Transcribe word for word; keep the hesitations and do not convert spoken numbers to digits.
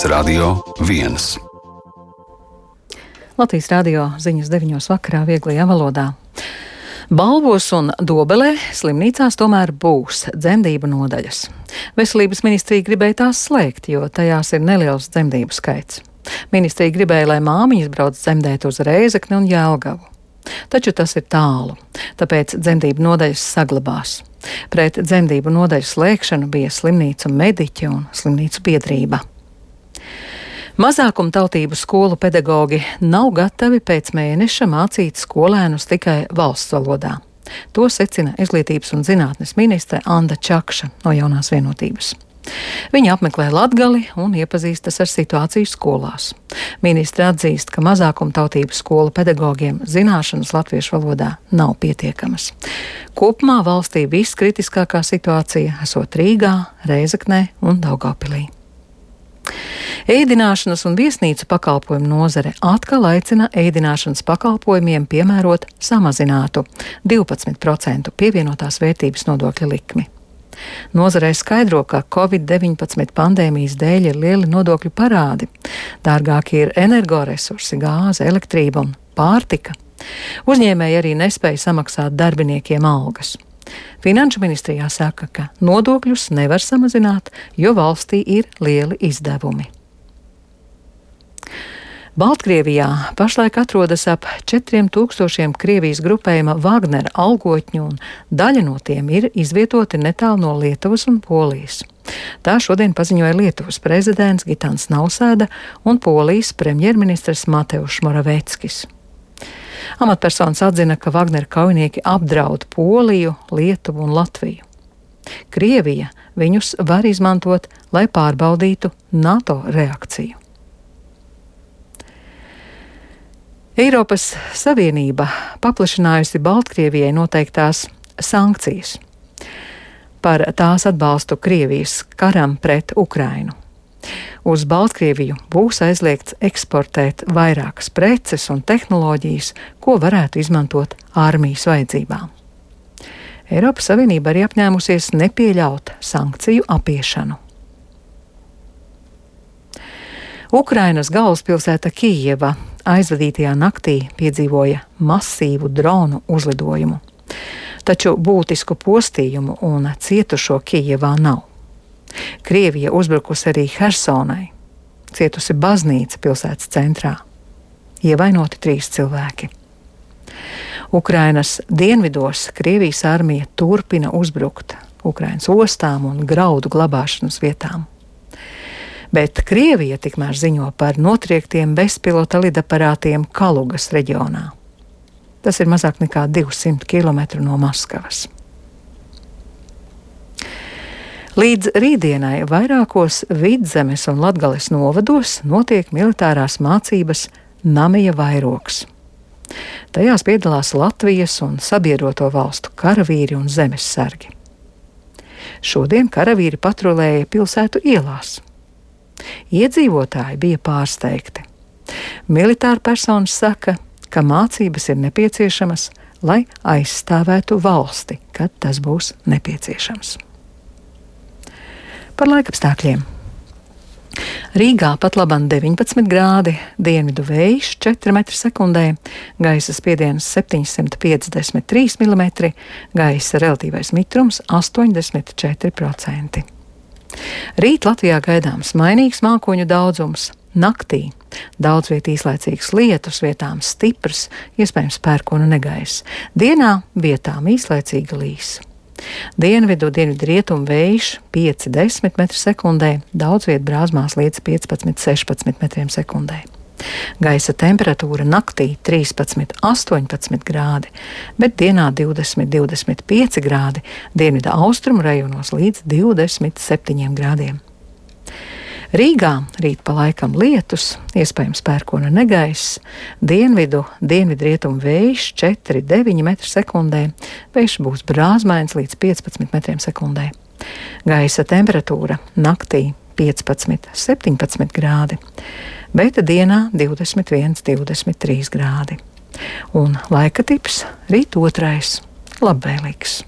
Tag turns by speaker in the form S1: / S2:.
S1: Radio viens.
S2: Latvijas radio ziņas deviņos vakarā vieglajā valodā. Balvos un Dobelē slimnīcās tomēr būs dzemdību nodaļas. Veselības ministrija gribēja tās slēgt, jo tajās ir neliels dzemdību skaits. Ministrija gribēja, lai māmiņas brauc dzemdēt uz Rēzekni un Jelgavu. Taču tas ir tālu, tāpēc dzemdību nodaļas saglabās. Pret dzemdību nodaļu slēgšanu bija slimnīcu mediķi un slimnīcu biedrība. Mazākumtautību skolu pedagogi nav gatavi pēc mēneša mācīt skolēnus tikai valsts valodā. To secina Izglītības un zinātnes ministre Anda Čakša no Jaunās vienotības. Viņa apmeklē Latgali un iepazīstas ar situāciju skolās. Ministre atzīst, ka mazākumtautību skolu pedagogiem zināšanas latviešu valodā nav pietiekamas. Kopumā valstī viskritiskākā situācija esot Rīgā, Rēzeknē un Daugavpilī. Ēdināšanas un viesnīcu pakalpojumu nozare atkal aicina ēdināšanas pakalpojumiem piemērot samazinātu divpadsmit procentu pievienotās vērtības nodokļa likmi. Nozarei skaidro, ka covid deviņpadsmit pandēmijas dēļ ir lieli nodokļu parādi. Dārgāki ir energoresursi, gāze, elektrība un pārtika. Uzņēmēji arī nespēja samaksāt darbiniekiem algas. Finanšu ministrijā saka, ka nodokļus nevar samazināt, jo valstī ir lieli izdevumi. Baltkrievijā pašlaik atrodas ap četriem tūkstošiem Krievijas grupējuma Wagnera algotņu, un daļa no tiem ir izvietoti netālu no Lietuvas un Polijas. Tā šodien paziņoja Lietuvas prezidents Gitans Nausēda un Polijas premjerministrs Mateušs Moraveckis. Amatpersonas atzina, ka Wagnera kaujinieki apdraud Poliju, Lietuvu un Latviju. Krievija viņus var izmantot, lai pārbaudītu NATO reakciju. Eiropas Savienība paplašinājusi Baltkrievijai noteiktās sankcijas par tās atbalstu Krievijas karam pret Ukrainu. Uz Baltkrieviju būs aizliegts eksportēt vairākas preces un tehnoloģijas, ko varētu izmantot armijas vajadzībām. Eiropas Savienība arī apņēmusies nepieļaut sankciju apiešanu. Ukrainas galvaspilsēta Kijeva aizvadītajā naktī piedzīvoja masīvu dronu uzlidojumu. Taču būtisku postījumu un cietušo Kijevā nav. Krievija uzbrukusi arī Hersonai, cietusi baznīca pilsētas centrā. Ievainoti trīs cilvēki. Ukrainas dienvidos Krievijas armija turpina uzbrukt Ukrainas ostām un graudu glabāšanas vietām. Bet Krievija tikmēr ziņo par notriektiem bezpilota lidaparātiem Kalugas reģionā. Tas ir mazāk nekā divsimt kilometru no Maskavas. Līdz rītdienai vairākos Vidzemes un Latgales novados notiek militārās mācības Namija vairogs. Tajās piedalās Latvijas un sabiedroto valstu karavīri un zemessargi. Šodien karavīri patrulēja pilsētu ielās. Iedzīvotāji bija pārsteigti. Militāra personas saka, ka mācības ir nepieciešamas, lai aizstāvētu valsti, kad tas būs nepieciešams. Par laikapstākļiem. Rīgā pat labam deviņpadsmit grādi, dienvidu vējš četri metri sekundē, gaisa spiediens septiņsimt piecdesmit trīs milimetri, gaisa relatīvais mitrums astoņdesmit četri procenti. Rīt Latvijā gaidāms mainīgs mākoņu daudzums. Naktī daudz viet īslaicīgs lietus, vietām stiprs, iespējams pērkona negaiss. Dienā vietām īslaicīga līs. Dienvidu, dienvidu rietumu vējš pieci līdz desmit metri sekundē, daudz viet brāzmās līdz piecpadsmit līdz sešpadsmit metriem sekundē. Gaisa temperatūra naktī trīspadsmit līdz astoņpadsmit grādi, bet dienā divdesmit līdz divdesmit pieci grādi, dienvidu austrumu rajonos līdz divdesmit septiņiem grādiem. Rīgā rīt pa laikam lietus, iespējams pērkona negaiss, dienvidu, dienvidu rietumu vējš četri līdz deviņi metri sekundē, vējš būs brāzmains līdz piecpadsmit metriem sekundē. Gaisa temperatūra naktī piecpadsmit līdz septiņpadsmit grādi, bet dienā divdesmit viens līdz divdesmit trīs grādi. Un laika tips rīt otrais labvēlīgs.